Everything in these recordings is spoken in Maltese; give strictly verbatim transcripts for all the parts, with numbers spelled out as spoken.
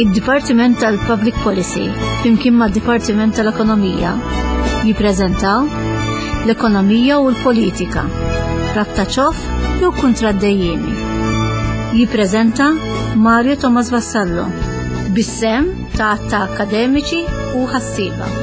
Id-Dipartiment tal-Public Policy flimkien mad-Dipartiment tal-Ekonomija jippreżentaw l-Ekonomija u l-Politika, rabta ċoff jew kuntratt dejjiemi. Jippreżenta Mario Thomas Vassallo bis-sehem ta' ta' akademiċi u ħassieba.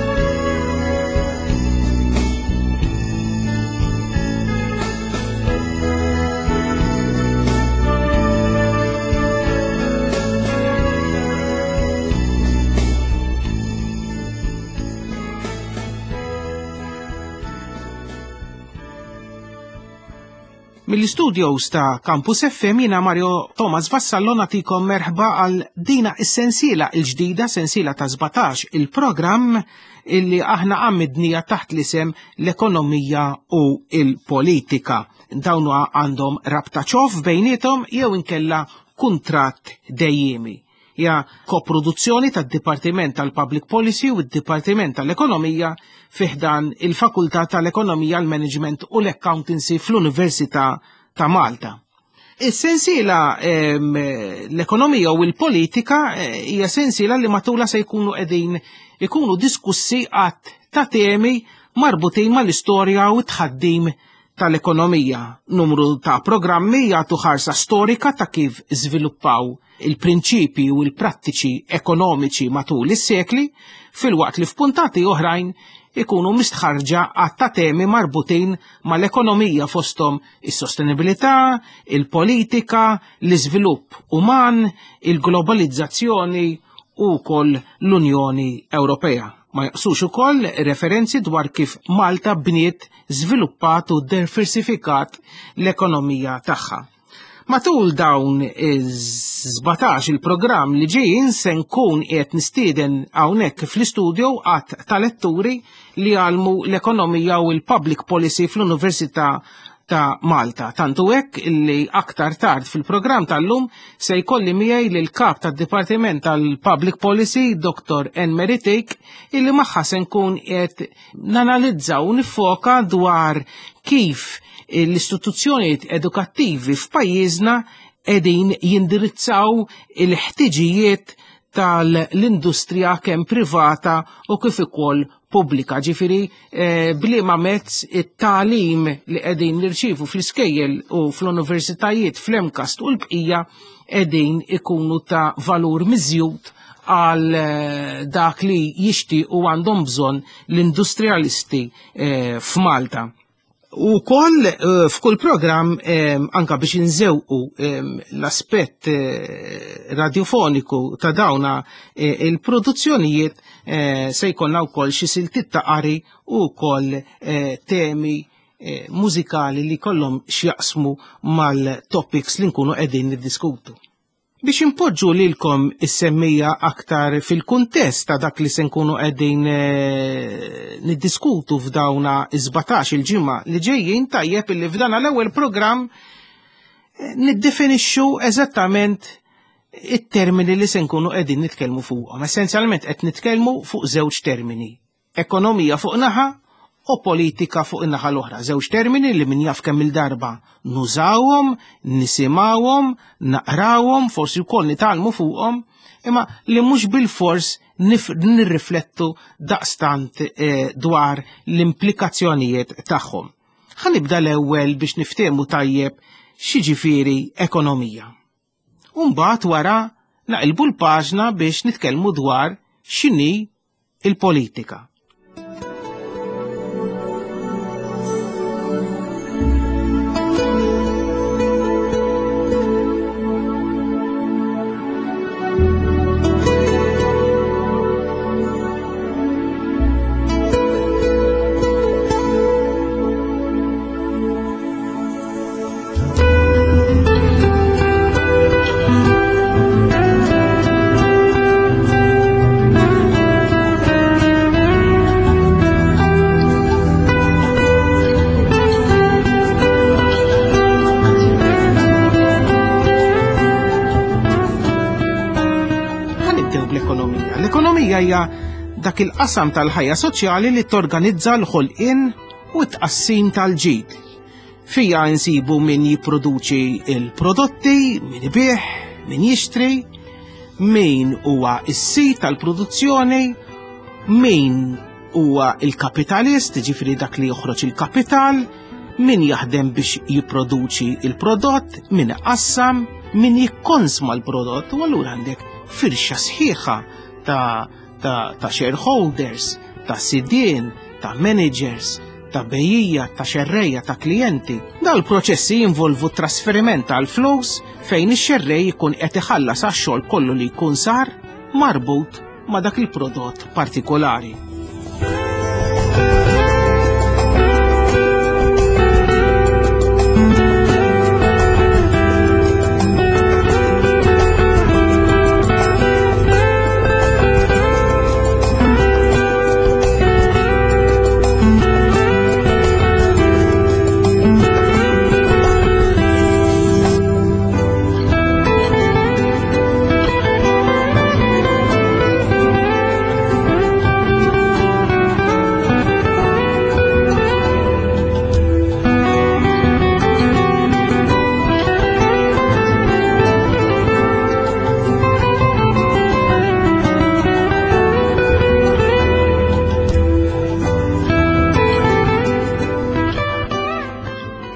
Mill-studios ta' Campus F M jiena Mario Thomas Vassallo nagħtikom merħba għal dina is-sensiela l-ġdida, sensiela ta' sbatax il-programm illi aħna għammidnija taħt l-isem l-ekonomija u il-politika. Dawn għandhom rabta ċoff bejnietom jew inkella kuntratt dejjemi. Ja koproduzzjoni tad-Dipartiment tal-Public Policy u d-Dipartiment tal-Ekonomija fi ħdan il-Fakultà tal-Ekonomija, l-Management u l-Accountancy fl-Università ta' Malta. Is-sensiela, ehm, l-ekonomija u l-politika, eh, hija sensiela li matula se jkunu qegħdin ikunu diskussi għadd ta' temi marbutin mal-istorja u t-tħaddim tal-ekonomija. Numru ta' programmi jagħtu ħarsa storika ta' kif żviluppaw il-prinċipi u l-prattiċi ekonomiċi matul is-sekli, filwaqt li f'puntati oħrajn ikunu mistħarġa għadd ta' temi marbutin mal-ekonomija fosthom is-sostenibilità, il-politika, l-iżvilupp uman, il-globalizzazzjoni u wkoll l-Unjoni Ewropea. Ma jaqsux ukoll referenzi dwar kif Malta bniet, żviluppat u diversifikat l-ekonomija tagħha. Matul dawn iż-sbatax il-programm li ġejjin se nkun qiegħed nistieden hawnhekk fl-istudio għadd ta' letturi li jgħallmu l-ekonomija u l-public policy fl-Università ta' Malta. Tantu hekk li aktar tard fil-programm tal-lum se jkolli miegħi lil kap tad-Dipartiment tal-Public Policy, Doktor Anne Mary Thake, illi magħha se nkun qed nanalizza u nifoka dwar kif l-istituzzjonijiet edukattivi f'pajjiżna qegħdin jindirizzaw il-ħtiġijiet tal-industrija kemm privata u kif ukoll pubblika. Ġifieri, eh, bliema mezz it-tagħlim li qegħdin nirċievu fl-iskejjel u fl-universitajiet fl-MCAST u l-bqija qegħdin ikunu ta' valur miżjud għal, eh, dak li jixtiequ għandhom bżonn l-industrialisti, eh, f'Malta. U koll, eh, f'kull programm, eh, anka biex inżewqu, eh, l-aspett, eh, radiofoniku ta' dawna, eh, il-produzzjonijiet, eh, se jkollna wkoll xi siltiet ta' qari u wkoll, eh, temi, eh, mużikali li kollhom x'jaqsmu mal-topics li nkunu qegħdin niddiskutu. Biex impoġġu lilkom is-semmija aktar fil-kuntest ta' dak li se nkunu qegħdin, eh, niddiskutu f'dawna is-sbatax il-ġimgħa li ġejjin, tajjeb illi f'dan l-ewwel programm, eh, niddefinixxu eżattament it-termini li se nkunu qegħdin nitkellmu fuqhom. Essenzjalment qed nitkellmu fuq żewġ termini: ekonomija fuq naħa u politika fuq in-naħa l-oħra. Żewġ termini li min jaf kemm il-darba nużawhom, nisimgħuhom, naqrawhom, forsi wkoll nitgħallmu fuqhom, imma li mhux bilfors nif-, nirriflettu daqstant, eh, dwar l-implikazzjonijiet tagħhom. Ħa nibda l-ewwel biex niftehmu tajjeb x'jiġifieri ekonomija. U mbagħad wara naqilbu l-paġna biex nitkellmu dwar x'inhi il-politika. Hija dak il-qasam tal-ħajja soċjali li torganizza l-ħolqien u t-tqassim tal-ġid. Fija nsibu min jipproduċi il-prodotti, min ibigħ, min jixtri, Min huwa s-sid tal-produzzjoni, min huwa il-kapitalist, ġifieri dak li joħroġ il-kapital, min jaħdem biex jipproduċi il-prodott, min iqassam, min jikkonsma l-prodott, u allura għandek firxa sħiħa ta', ta, ta' shareholders, ta' sidien, ta' managers, ta' bejjiegħa, ta' xerrejja, ta' klijenti. Dal-proċessi jinvolvu trasferiment tal-flus fejn ix-xerrej jkun qed iħallas għax-xogħol kollu li jkun sar marbut ma' dak il-prodott partikolari.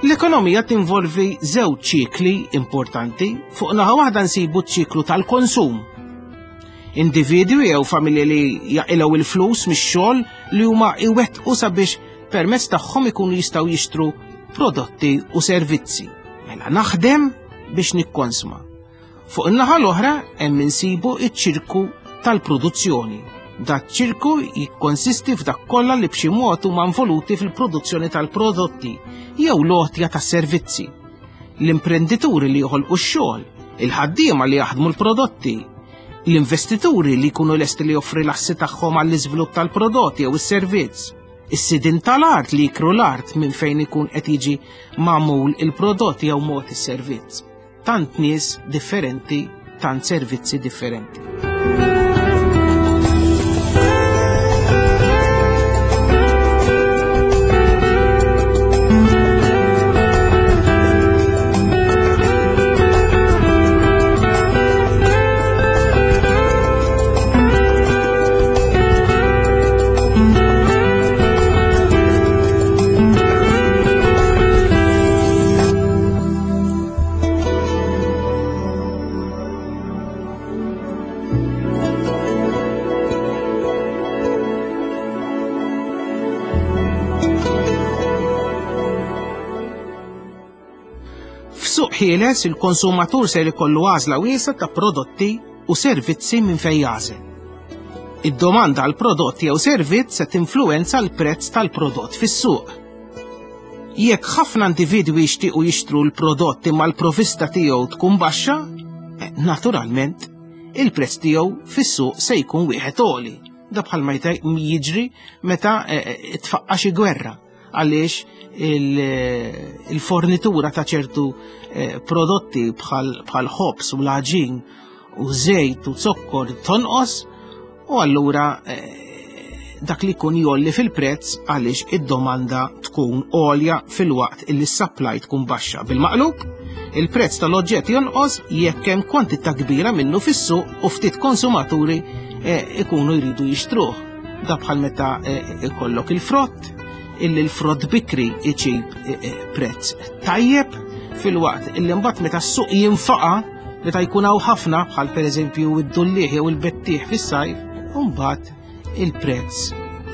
L-ekonomija tinvolvi żewġ ċikli importanti. Fuq naħa waħda nsibu ċ-ċiklu tal-konsum. Individwi jew familji li jaqilgħu il-flus mix-xogħol li huma iwettqu sabiex permezz tagħhom ikunu jistgħu jixtru prodotti u servizzi. Mela naħdem biex nikkonsma. Fuq in-naħa l-oħra hemm insibu ċ-ċirku tal-produzzjoni. Dak ċirku jikkonsisti f'dak kollha li b'xi mod huma involuti fil-produzzjoni tal-prodotti jew l-għotja tas-servizzi. L-imprendituri li joħolqu x-xogħol, il-ħaddiema li jaħdmu l-prodotti, l-investituri li jkunu lesti li joffri l-assi tagħhom għall-iżvilupp tal-prodotti jew is-servizz, is-sidien tal-art li jikru l-art minn fejn ikun qed jiġi magħmul il-prodott jew mod is-servizz. Tant nies differenti, tant servizzi differenti. F'suq ħieles il-konsumatur ser ikollu għażla wiesgħa ta' prodotti u servizzi minn fejn jagħżel. Id-domanda għal prodott jew servizz se tinfluwenza l-prezz tal-prodott fis-suq. Jekk ħafna individwi jixtiequ jixtru l-prodott imma l-provista tiegħu tkun baxxa, naturalment il-prezz tiegħu fis-suq se jkun wieħed għoli. Da bħalma jiġri meta tfaqqa xi gwerra, għaliex il-fornitura ta' ċertu prodotti bħal ħobż u l-għaġin u żejt u zokkor tonqos, u allura dak li jkun jolli fil-prezz għaliex id-domanda tkun għolja filwaqt illi s-supply tkun baxxa. Bil-maqlub, il-prezz tal-oġġett jonqos jekk hemm kwantità kbira minnu fis-suq u ftit konsumaturi ikunu jridu jixtruh. Da bħal meta ikollok il-frott, illi l-frott bikri iġib prezz tajjeb, filwaqt illi mbagħad meta s-suq jinfaqa, meta jkun hawn ħafna bħal pereżempju id-dullieħ jew il-bettieħ fis-sajf, u mbagħad il-prezz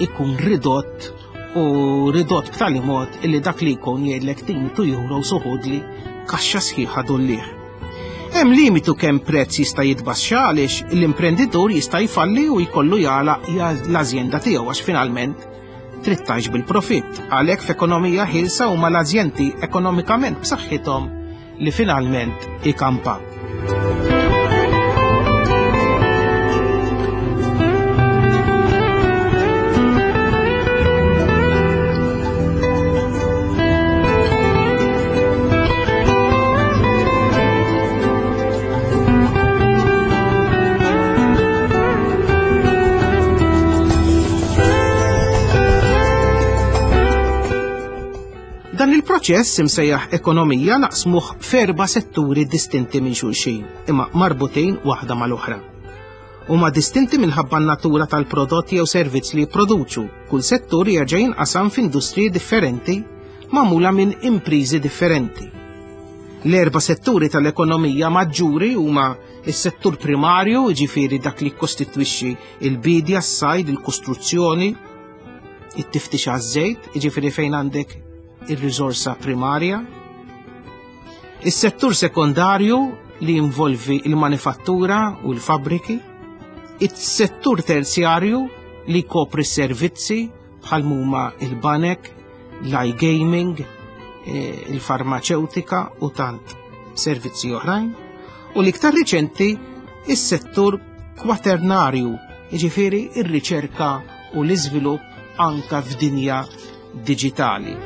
ikun ridott u ridott b'tali mod illi dak li jkun jgħidlek tin two euro soħodli kaxxa sħiħa dullieħ. Hemm limitu kemm prezz jista' jitbaxxa għaliex l-imprenditur jista' jfalli u jkollu jagħlaq l-azjenda tiegħu għax finalment trid tgħix bil-profitt. Għalhekk f'ekonomija ħielsa huma l-azjendi ekonomikament b'saħħithom li finalment ikampa. Dan il-proċess imsejjaħ ekonomija naqsmuh f'erba' setturi distinti minn xulxin, imma marbutin waħda mal-oħra. Huma distinti minħabba n-natura tal-prodott jew servizz li jipproduċu. Kull settur jerġa' jinqasam f'industriji differenti magħmula minn imprizi differenti. L-erba' setturi tal-ekonomija maġġuri huma s-settur primarju, jiġifieri dak li kkostitwixxi il-bidja, s-sajd, il-kostruzzjoni, it-tiftix għaż-żejt, jiġifieri fejn għandek ir-riżorsa primarja. Is-settur sekondarju li jinvolvi il-manifattura u l-fabbriki. Is-settur terzjarju li jkopri s-servizzi bħal huma il-banek, l-iGaming, il-farmaceutika u tant servizzi oħrajn. U l-iktar riċenti is-settur kwaternarju, jiġifieri ir-riċerka u l-iżvilupp anka f'dinja diġitali.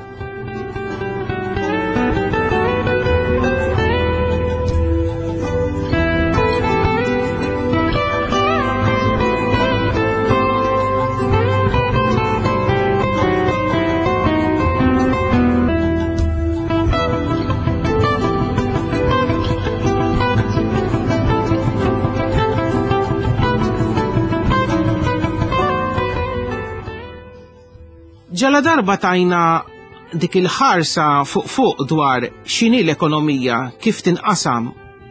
Ġala darba tajna dik il-ħarsa fuq fuq dwar x'inhi l-ekonomija, kif tinqasam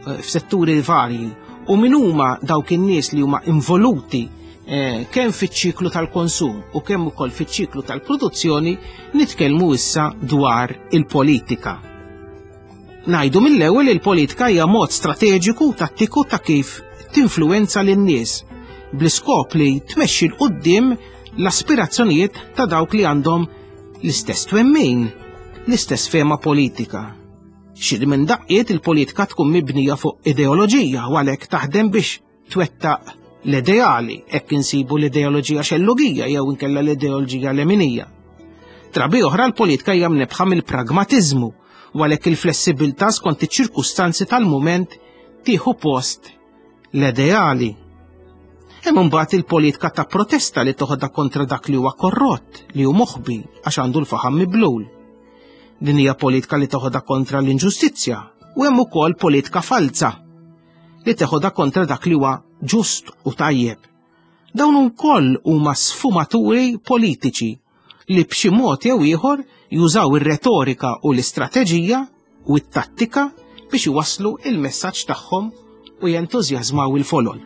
f'setturi varji u min huma dawk in-nies li huma involuti eh, kemm fiċ-ċiklu tal-konsum u kemm ukoll fiċ-ċiklu tal-produzzjoni, nitkellmu issa dwar il-politika. Ngħidu mill-ewwel il-politika hija mod strateġiku u tattiku ta' kif tinfluwenza lin-nies bl-iskop li tmexxi 'l quddiem l-aspirazzjonijiet ta' dawk li għandhom l-istess twemmin, l-istess fema politika. Xi minn daqqiet il-politika tkun mibnija fuq ideoloġija u għalhekk taħdem biex twettaq l-ideali, hekk insibu l-ideoloġija xellugija jew inkella l-ideoloġija leminija. Drabi oħra l-politika hija mnebħa mill-pragmatiżmu u għalhekk il-flessibilità skont iċ-ċirkustanzi tal-mument tieħu post l-ideali. Hemm imbagħad il-politika ta' protesta li toħodha kontra dak li huwa korrott, li hu moħbi għax għandu l-faħam miblul. Din hija politika li toħodha kontra l-inġustizzja, u hemm ukoll politika falza li teħodha kontra dak li huwa ġust u tajjeb. Dawn ukoll huma sfumaturi politiċi li b'xi mod jew ieħor jużaw ir-retorika u l-istrateġija u t-tattika biex iwasslu il-messaġġ tagħhom u jentużjażmaw il-folol.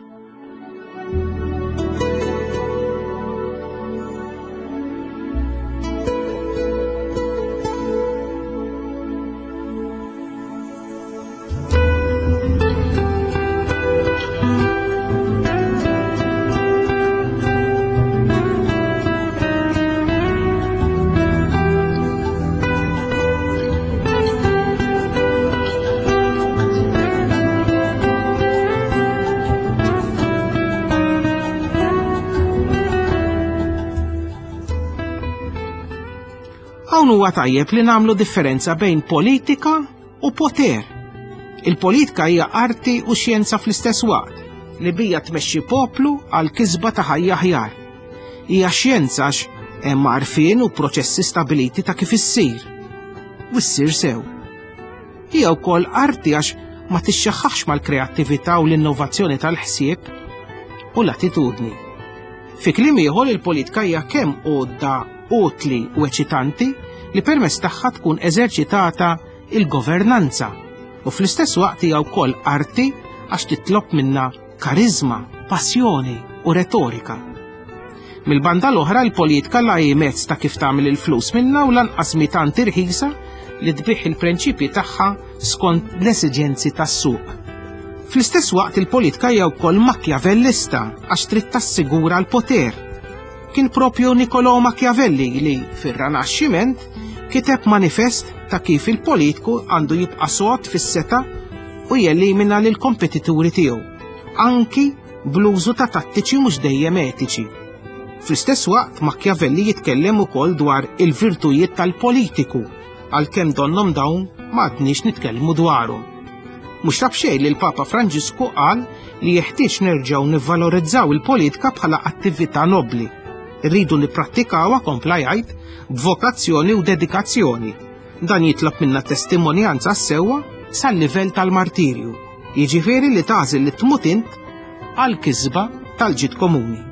Hawn huwa tajjeb li nagħmlu differenza bejn politika u poter. Il-politika hija arti u xjenza fl-istess waqt li bija tmexxi poplu għal kisba ta' ħajja aħjar. Hija xjenza għax hemm għarfien u proċessi stabiliti ta' kif issir. U ssir sew. Hija wkoll arti għax ma tixxaħħax mal-kreattività u l-innovazzjoni tal-ħsieb u l-attitudni. Fi kliem ieħor il-politika hija kemm għodda utli u eċitanti li permezz tagħha tkun eżerċitata il-governanza u fl-istess waqt hija wkoll arti għax titlob minna karizma, passjoni u retorika. Mill-banda l-oħra l-politika la hi mezz ta' kif tagħmel il-flus minna u lanqas mi tant irħisa li tbih il-prinċipji tagħha skont l-esiġenzi tas-suq. Fl-istess waqt il-politika hija wkoll makjavellista għax trid tassigura l-poter. Kien propju Niccolò Machiavelli li fir-Rinaxximent kiteb manifest ta' kif il-politiku għandu jibqa' sod fis-seta u jelimina lil kompetituri tiegħu, anki bl-użu ta' tattiċi mhux dejjem etiċi. Fl-istess waqt Machiavelli jitkellem ukoll dwar il-virtujiet tal-politiku, għalkemm donnhom dawn ma għadniex nitkellmu dwarhom. Mhux ta' b'xejn li l-Papa Franġisku qal li jeħtieġ nerġgħu nivvalorizzaw il-politika bħala attività nobbli. Irridu nipprattikawha, kompla jgħid, b'vokazzjoni u dedikazzjoni. Dan jitlob minna testimonjanza sewwa sal-livell tal-martirju, jiġifieri li tagħżel li tmut int għal kisba tal-ġid komuni.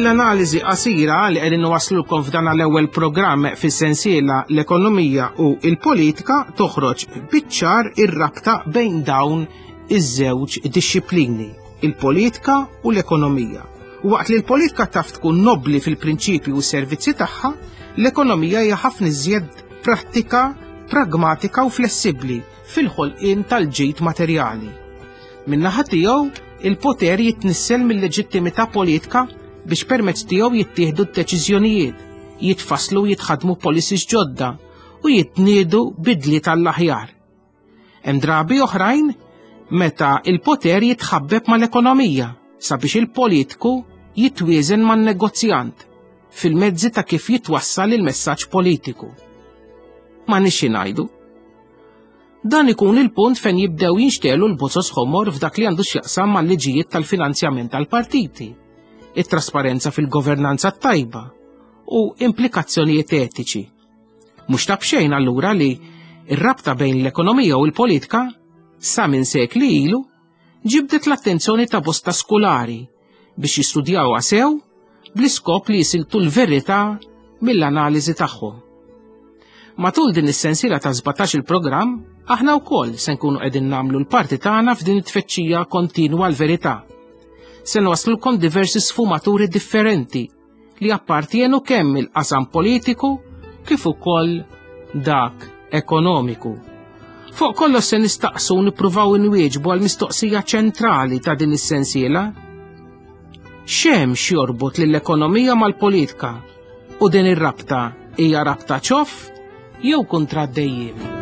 L-analiżi qasira li qegħdin nwaslulkom f'dan l-ewwel programm fis-sensiela l-ekonomija u l-politika toħroġ biċ-ċar ir-rabta bejn dawn iż-żewġ dixxiplini, il-politika u l-ekonomija. U waqt li l-politika taf tkun nobbli fil-prinċipji u s-servizzi tagħha, l-ekonomija hija ħafna iżjed prattika, pragmatika u flessibbli fil-ħolqien tal-ġid materjali. Min-naħa tiegħu, il-poter jitnissel mill-leġittimità politika biex permezz tiegħu jittieħdu d-deċiżjonijiet, jitfasslu u jitħadmu policies ġodda u jitniedu bidli tal-aħjar. Hemm drabi oħrajn meta il-poter jitħabbeb mal-ekonomija sabiex il-politiku jitwieżen man-negozjant fil-mezzi ta' kif jitwassal il-messaġġ politiku. Ma nixi ngħidu. Dan ikun il-punt fejn jibdew jinxtelu l-bozos ħomor f'dak li għandu x'jaqsam mal-liġijiet tal-finanzjament tal-partiti, it-trasparenza fil-governanza tajba u implikazzjonijiet etiċi. Mhux ta' b'xejn allura li r-rabta bejn l-ekonomija u l-politika sa minn sekli ilu ġibdet l-attenzjoni ta' bosta skolari biex jistudjawha sew bl-iskop li jisiltu l-verità mill-analiżi tagħhom. Matul din is-sensiela ta' sbatax il-programm, aħna wkoll se nkunu qegħdin nagħmlu l-parti tagħna f'din it-tfittxija kontinwa l-verità. Se nwaslulkom diversi sfumaturi differenti li appartienu kemm il-qasam politiku kif ukoll dak ekonomiku. Fuq kollox se nistaqsu nippruvaw inwieġbu għal mistoqsija ċentrali ta' din is-sensiela. X'hemm x'jorbot lill-ekonomija mal-politika u din ir-rabta hija rabta ċoff jew kuntratt dejjiemi?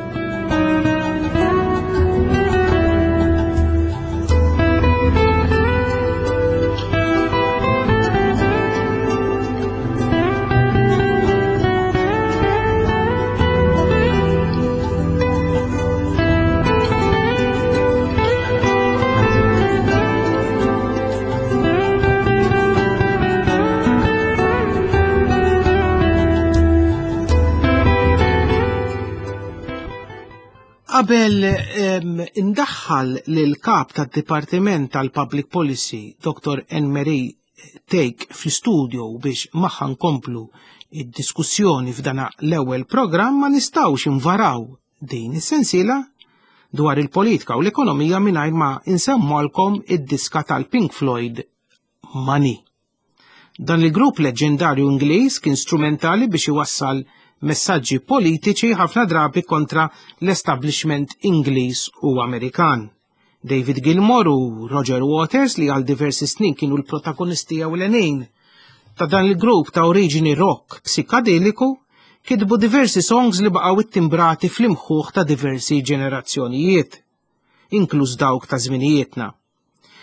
Qabel indaħħal lil kap tad-Dipartiment tal-Public Policy, Doktor Anne-Marie Thake, fl-istudio biex magħha nkomplu id-diskussjoni f'dana l-ewwel programm, ma nistgħux invaraw din is-sensiela dwar il-politika u l-ekonomija mingħajr ma insemmolkom id-diska tal-Pink Floyd Money. Dan il-grupp leġendarju Ingliż kien strumentali biex iwassal messaġġi politiċi ħafna drabi kontra l-establishment Ingliż u Amerikan. David Gilmour u Roger Waters, li għal diversi snin kienu l-protagonisti ewlenin ta' dan il-grupp ta' oriġini rock psikadeliku, kitbu diversi songs li baqgħu ittimbrati fl-imħuħ ta' diversi ġenerazzjonijiet, inkluż dawk ta' żminijietna.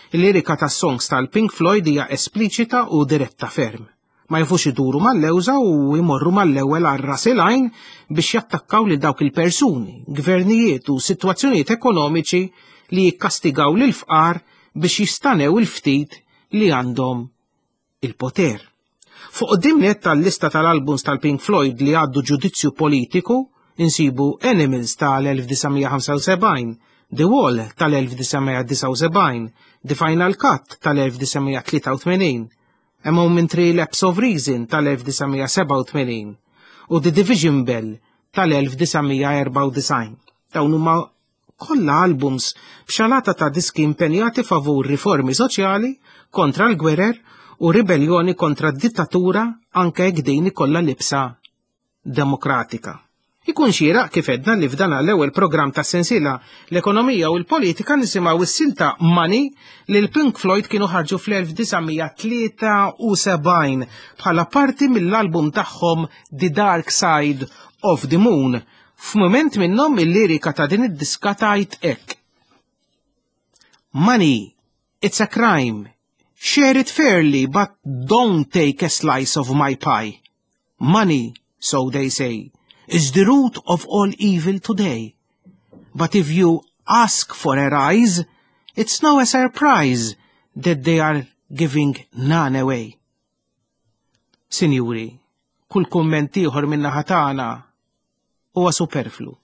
Il-lirika ta' songs tal-Pink Floyd hija espliċita u diretta ferm. Ma jafux iduru mal-lewża u jmorru mal-ewwel għal ras il-għajn biex jattakkaw lil dawk il-persuni, gvernijiet u sitwazzjonijiet ekonomiċi li jikkastigaw lil fqar biex jistanew il-ftit li għandhom il-poter. Fuq quddiem nett tal-lista tal-albums tal-Pink Floyd li għaddu ġudizzju politiku insibu Animals tal-elf disa' mija ħamsa u sebgħin, The Wall tal-elf disa' mija disgħa u sebgħin, The Final Cut tal-elf disa' mija tlieta u tmenin, A Momentary Lapse of Reason tal-elf disa' mija sebgħa u tmenin u The Division Bell tal-elf disa' mija erbgħa u disgħin. Dawn huma kollha albums b'xalata ta' diski impenjati favur riformi soċjali, kontra l-gwerer u ribellioni kontra d-dittatura anke jekk din ikollha libsa demokratika. Ikun xieraq kif edna li f'dan l-ewwel programm ta' sensiela l-ekonomija u l-politika nisimgħu s-silta Money li l-Pink Floyd kienu ħarġu fl-elf disa' mija tlieta u sebgħin bħala parti mill-album tagħhom The Dark Side of the Moon, F'mument minnhom il-lirika ta' din id-diska tgħid hekk. Money, it's a crime. Share it fairly, but don't take a slice of my pie. Money, so they say, is the root of all evil today. But if you ask for a rise, it's no a surprise that they are giving none away. Sinjuri, kull kumment ieħor min-naħa tagħna huwa superflu.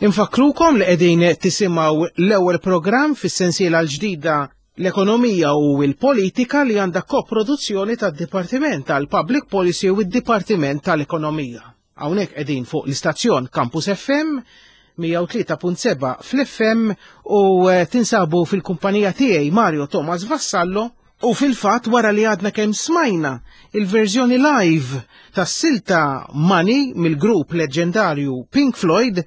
Infakkrukom li qegħdin tisimgħu l-ewwel programm fis-sensiela l-ġdida l-ekonomija u l-politika li għandha koproduzzjoni tad-Dipartiment tal-Public Policy u d-Dipartiment tal-Ekonomija. Hawnhekk qegħdin fuq l-istazzjon Campus F M mija u tlieta punt seba' fl-F M u tinsabu fil-kumpanija tiegħi Mario Thomas Vassallo. U fil-fatt wara li għadna kemm smajna il-verżjoni live tas-silta Money mill-grupp leġendarju Pink Floyd,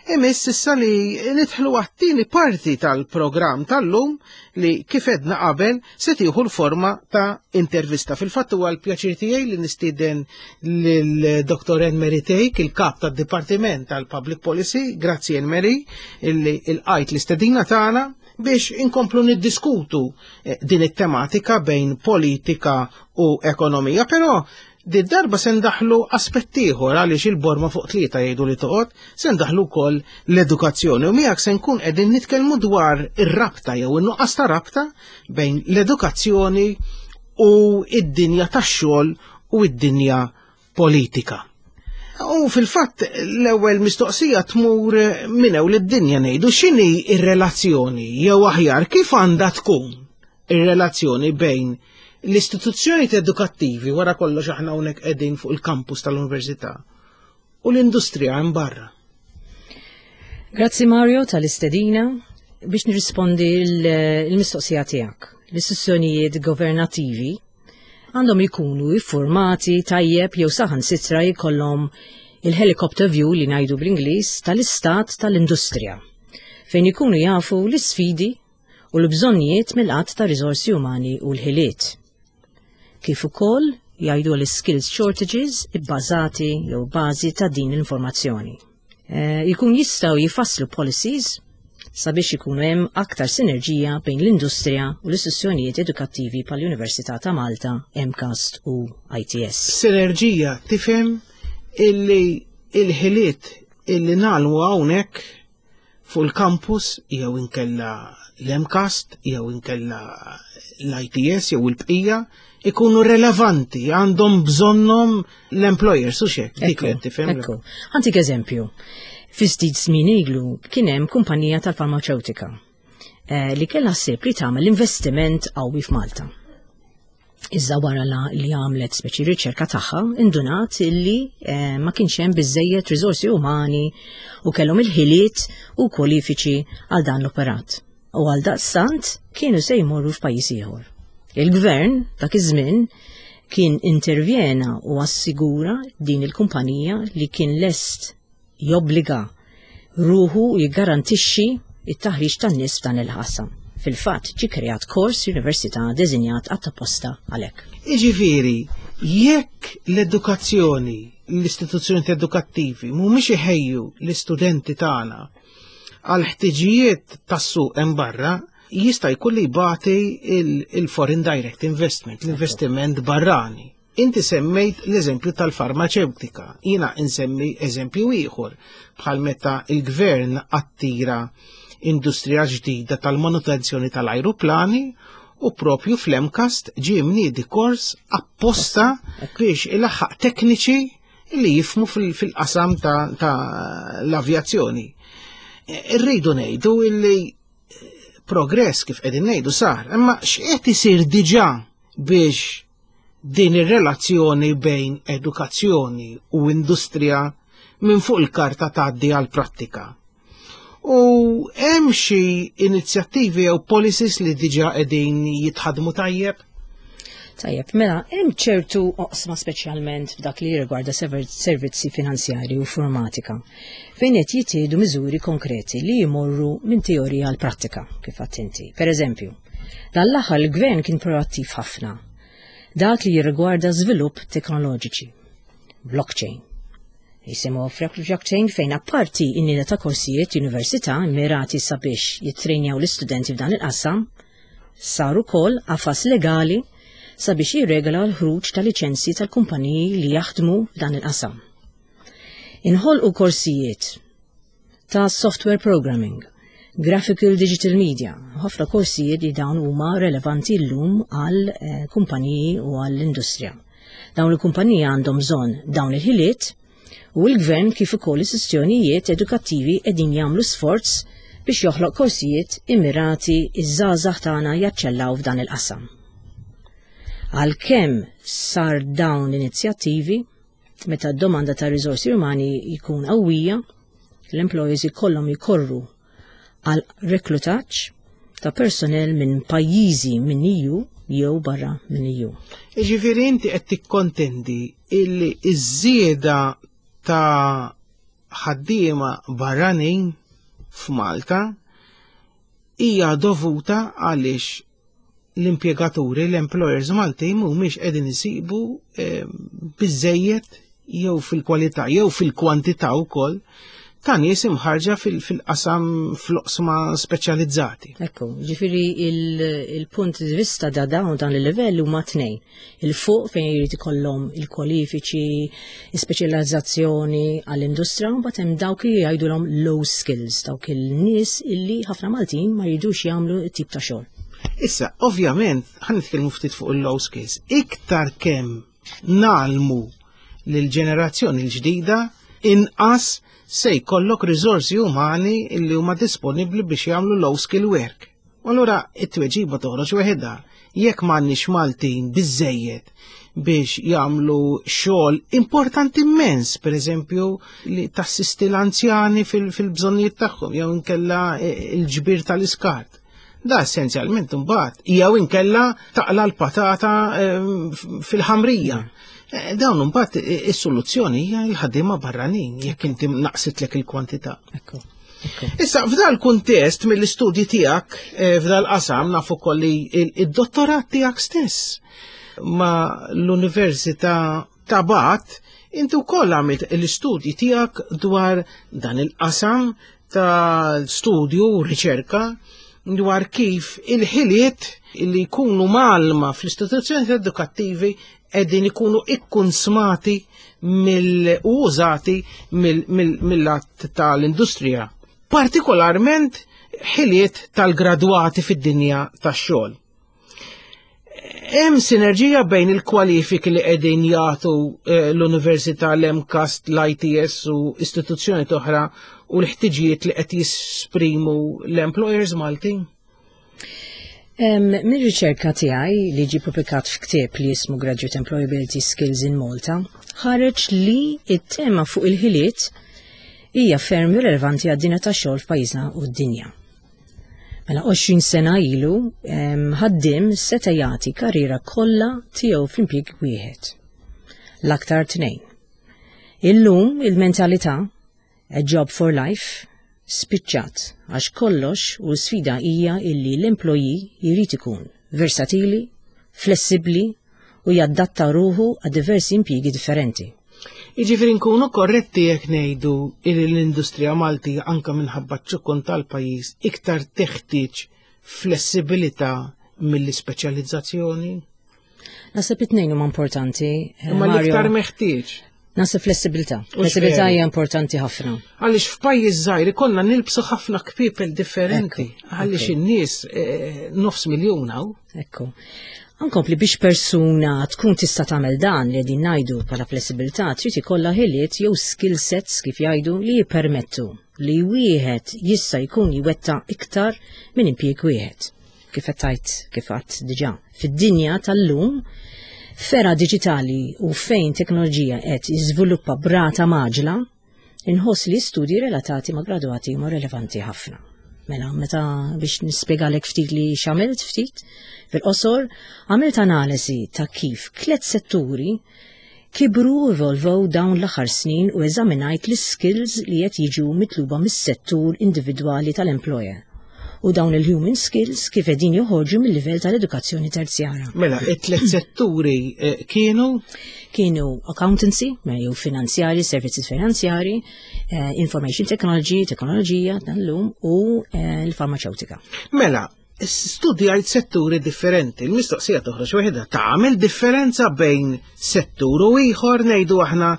imiss issa li nidħlu għat-tieni parti tal-programm tal-lum li kif edna qabel se tieħu l-forma ta' intervista. Fil-fatt huwa l-pjaċir tiegħi li nistieden lil Doktor Anne-Marie Thake, il-kap tad-Dipartiment tal-Public Policy. Grazzi Anne-Marie illi ilqajt l-istedina tagħna biex inkomplu niddiskutu din it-tematika bejn politika u ekonomija. Però Di darba se ndaħlu aspett ieħor għaliex il-borma fuq tlieta jgħidu li toqgħod, se ndaħlu wkoll l-edukazzjoni u miegħek se nkun qegħdin nitkellmu dwar ir-rabta jew in-nuqqas ta' rabta bejn l-edukazzjoni u id-dinja tax-xogħol u id-dinja politika. U fil-fatt l-ewwel mistoqsija tmur minn hawn lid-dinja ngħidu x'inhi ir-relazzjoni jew aħjar kif għandha tkun ir-relazzjoni bejn l-istituzzjoni edukattivi wara kollox aħna hawnhekk qegħdin fuq il-kampus tal-università u l-industrija hemm barra. Grazzi Mario tal-istedina biex nirrispondi l-mistoqsija tiegħek. L-istituzzjonijiet governattivi għandhom ikunu iffurmati tajjeb jew saħansitra jkollhom il-helicopter view li ngħidu bl-Ingliż tal-istat tal-industrija fejn ikunu jafu l-isfidi u l-bżonnijiet mill-qatt ta' riżorsi umani u l-ħiliet. Kif ukoll jgħidu l-skills shortages ibbażati jew bażi ta' din l-informazzjoni. E, jkun jistgħu jifasslu policies sabiex ikunu hemm aktar sinerġija bejn l-industrija u l-istituzzjonijiet edukattivi bħall-Università ta' Malta, MCAST u I T S. Sinerġija tifhem illi il-ħiliet illi nagħmlu hawnhekk fuq il-campus jew inkella l-MCAST jew inkella l-I T S jew il-bqija ikunu relevanti, għandhom bżonnhom l-employers u xek, dik li tifhem. Ekku. Ħa ntik eżempju. Fi ftit żmien ilu kien hemm kumpanija tal-farmaceutika eh, li kellha ħsieb li tagħmel investiment qawwi f'Malta. Iżda wara li għamlet speċi riċerka tagħha, indunat illi eh, ma kienx hemm biżejjed riżorsi umani u kellhom il-ħiliet u kwalifiċi għal dan l-operat. U għal daqstant kienu se jmorru f'pajjiż ieħor. Il-gvern dak iż-żmien kien intervjena u assigura din il-kumpanija li kien lest jobbliga ruħu u jiggarantixxi it-taħriġ tan-nies f'dan il-qasam. Fil-fatt, ġi kreat kors università deżinjat apposta għalhekk. Iġifieri, jekk l-edukazzjoni, l-istituzzjoni edukattivi mhumiex iħejju l-istudenti tagħna għal ħtiġijiet tas-suq hemm barra, jista' jkun li jbati il-foreign direct investment, l-investiment barrani. Inti semmejt l-eżempju tal-farmaceutika, jiena insemmi eżempju ieħor bħal meta il-gvern attira industrija ġdida tal-manutenzjoni tal-ajruplani u propju fl-MCAST ġie mniedi kors apposta biex ilaħħaq tekniċi li jifhmu fil-qasam ta' l-avjazzjoni. Irridu ngħidu illi progress kif qegħdin ngħidu sar, imma x'qed isir diġà biex din ir-relazzjoni bejn edukazzjoni u industrija minn fuq il-karta tgħaddi għal prattika? U hemm xi inizjattivi jew policies li diġà qegħdin jitħadmu tajjeb? Tajjeb, mela, hemm ċertu oqsma, speċjalment f'dak li jirrigwarda servizzi finanzjari u informatika, fejn qed jittieħdu miżuri konkreti li jmorru minn teorija għal prattika, kif inti. Per eżempju, dan l-aħħar il-gvern kien proattiv ħafna. Dak li jirrigwarda żvilupp teknoloġiċi, blockchain. Jisimu blockchain, fejn apparti in ta' korsijiet università mirati sabiex jittrejnjaw l-istudenti f'dan il-qasam, sar ukoll qafas legali sabiex jirregola l-ħruġ ta' liċenzji tal-kumpaniji li jaħdmu f'dan il-qasam. Inħolqu korsijiet ta' software programming, graphical digital media, ħafna korsijiet li dawn huma relevanti llum għal eh, kumpaniji u għall-industrija. Dawn il-kumpaniji għandhom bżonn dawn il-ħiliet u l-gvern kif ukoll istituzzjonijiet edukattivi qegħdin jagħmlu sforz biex joħloq korsijiet immirati iż-żgħażagħ tagħna jaċċellaw f'dan il-qasam. Għalkemm sar dawn l-inizjattivi, meta d-domanda ta' riżorsi umani jkun qawwija, l-employees ikollhom jikorru għal reklutaġġ ta' personnel minn pajjiżi minn E U jew barra minn E U. Iġifieri inti qed tikkontendi illi iż-żieda ta' ħaddiema barranin f'Malta hija dovuta għaliex l-impjegaturi, l-employers Malti mhumiex qegħdin isibu eh, biżejjed jew fil-kwalità jew fil-kwantità wkoll ta' nies imħarġa fil-qasam fl-oqsma speċjalizzati. Ekku, ġifieri il-punt di vista da dawn dan il-livell huma tnejn. Il-fuq fejn jrid ikollhom il-kwalifiċi, il-speċjalizzazzjoni għall-industrija, mbagħad hemm dawk li jgħidulhom low skills, dawk il-nies illi ħafna Maltin ma jridux jagħmlu tip ta' xogħol. Issa, ovvjament, ħa nitkellmu ftit fuq il-low skills. Iktar kemm ngħallmu lill-ġenerazzjoni l-ġdida, inqas se jkollok riżorsi umani illi huma disponibbli biex jagħmlu low skill work. U allura it-tweġiba toħroġ weħidha. Jekk m'għandniex Maltin biżejjed biex jagħmlu xogħol importanti immens, per eżempju, li tassisti l-anzjani fil-bżonnijiet tagħhom jew inkella il-ġbir tal-iskart. Da essenzjalment imbagħad jew inkella taqla l-patata fil-ħamrija. Dawn imbagħad is-soluzzjoni hija l-ħaddiema barranin jekk inti naqsitlek il-kwantità. Ekku. Issa, f'dal kuntest mill-istudji tiegħek f'dal qasam nafu ukoll li id-dottorat tiegħek stess ma l-Università ta' Bath inti wkoll għamilt l-istudji tiegħek dwar dan il-qasam tal-studju u riċerka dwar kif il-ħiliet li jkunu mgħallma fl-istituzzjoni edukattivi qegħdin ikunu ikkunsmati mill-użati mill-lat tal-industrija. Partikolarment ħiliet tal-gradwati fid-dinja tax-xogħol. Hemm sinerġija bejn il-kwalifiki li qegħdin jagħtu l-Università, l-MCAST, l-I T S u istituzzjoni oħra u l-ħtiġijiet li qed jisprimu l-employers Maltin? Min riċerka tiegħi li ġi publikat f'ktieb li jismu Graduate Employability Skills in Malta, ħareġ li it-tema fuq il-ħiliet hija ferm rilevanti għad-dinja tax-xogħol f'pajjiżna u d-dinja. Mela għoxrin sena ilu ħaddim seta' jagħti karriera kollha tiegħu f'impjieg wieħed. L-aktar tnejn. Illum il-mentalità a job for life spiċċat għax kollox u sfida hija illi l-employee jrid ikun versatili, flessibbli u jaddatta ruħu għad diversi impjiegi differenti. Jiġifieri nkunu korretti jekk ngħidu li l-industrija Malti anka minħabba ċ-ċokon tal-pajjiż iktar teħtieġ flessibilità mill-ispeċjalizzazzjoni? Naħseb it-tnejn huma importanti. Imma l-iktar meħtieġ. Naħseb flessibilità. Flessibilità hija importanti ħafna. Għaliex f'pajjiż żgħir ikollna nilbsu ħafna kpiepel differenti. Għaliex in-nies nofs miljun hawn. Ekku. Ankompli biex persuna tkun tista' tagħmel dan li qegħdin ngħidu bħala flessibilità, trid ikollha ħiliet jew skill sets kif jgħidu li jippermettu li wieħed jista' jkun jwetta iktar minn impjieg wieħed. Kif qed tgħid kif għadt diġà. Fid-dinja tal-lum f'era diġitali u fejn teknoloġija qed jiżviluppa b'rata mgħaġġla, inħoss li studji relatati ma' gradwati huma relevanti ħafna. Mela, meta biex nispjegalek ftit li x'għamilt ftit, fil-qosor, għamilt analiżi ta' kif tliet setturi kibru u evolvow dawn l-aħħar snin u eżaminajt l-skills li qed jiġu mitluba mis-settur individwali tal-employer u dawn il-human skills kif qegħdin joħorġu mill-livell tal-edukazzjoni terzjara. Mela, it-tliet setturi eh, kienu? Kienu accountancy, jew finanzjari, servizzi finanzjari, eh, information technology, teknoloġija tal-lum u eh, l-farmaceutika. Mela, studjajt setturi differenti. Il-mistoqsija toħroġ waħedha, tagħmel differenza bejn settur u ieħor, ngħidu aħna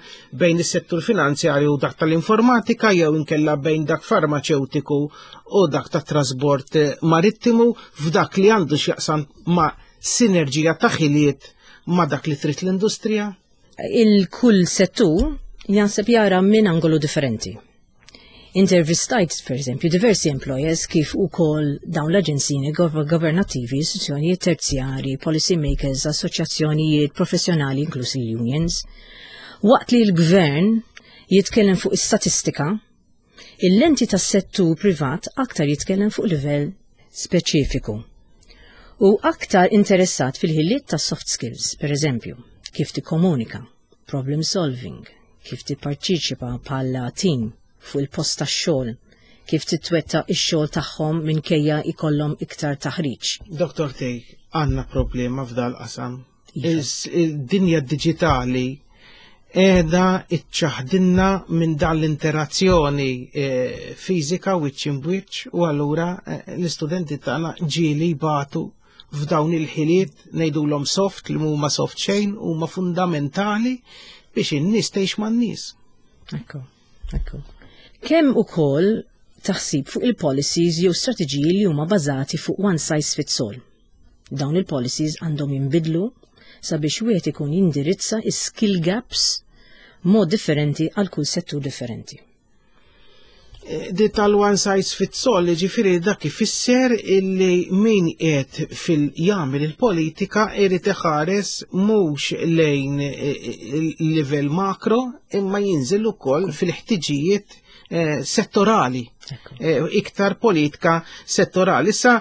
bejn is-settur finanzjarju u dak tal-informatika jew inkella bejn dak farmaceutiku u dak tat-trasbord marittimu f'dak li għandu x'jaqsam ma' sinerġija ta' ħiliet ma' dak li trid l-industrija? Il-kull settur janseb jara minn angolu differenti. Intervistajt, per eżempju, diversi employers kif ukoll dawn l-aġenzini governattivi, istituzzjonijiet terzjari, policy makers, assoċjazzjonijiet professjonali, inklusi unions. Waqt li l-gvern jitkellem fuq is-statistika, il-lenti tas-settur privat aktar jitkellem fuq livell speċifiku. U aktar interessat fil-ħiliet ta' soft skills, per eżempju, kif tikkomunika, problem solving, kif tipparteċipa bħala team fuq il-post tax-xogħol, kif titwetta x-xogħol tagħhom minkejja ikollhom iktar taħriġ. Doktor Thake, għandna problema f'dal qasam. Iva. Id-dinja digitali qiegħda iċċaħdinna minn dan l-interazzjoni eh, fiżika wiċċ imbwiċċ u allura eh, l-istudenti tagħna ġieli jbatu f'dawn il-ħiliet, ngħidulhom soft, li huma soft xejn, huma fundamentali biex in-nies tgħix man-nies. Ekku, ekku. Kemm ukoll taħsib fuq il-policies jew strateġiji li huma bażati fuq one size fits all. Dawn il-policies għandhom jinbidlu sabiex wieħed ikun jindirizza skill gaps mod differenti għal kull settur differenti. Eh, di tal-one size fits all, ġifieri dak ifisser illi min qed fil-jagħmel il-politika irid iħares mhux lejn eh, il-livell makro imma jinżel ukoll fil-ħtiġijiet eh, settorali. Iktar politika settorali. Issa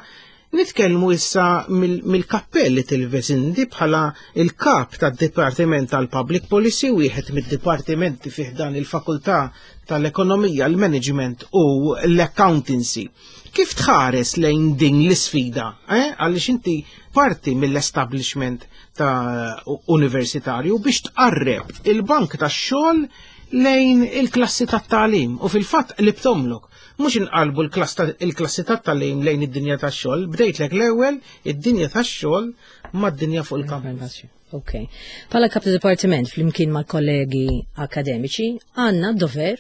nitkellmu issa mill-kappell li tilbes inti bħala il-kap tad-Dipartiment tal-Public Policy, wieħed mid-dipartimenti fih dan il-Fakultà tal-Ekonomija, l-Management u l-Accountancy. Kif tħares lejn din l-isfida? Eh? Għaliex inti parti mill-establishment ta' universitarju biex tqarreb il-bank tax-xogħol lejn il-klassi tat-tagħlim u fil-fatt li btomlok. Mhux inqalbu il-klassi tat-tagħlim lejn id-dinja tax-xogħol, bdejtlek l-ewwel id-dinja tax-xogħol mad-dinja fuq il-kampus. Ok. Bħala kap ta' dipartiment flimkien mal-kollegi akademiċi għandna dover,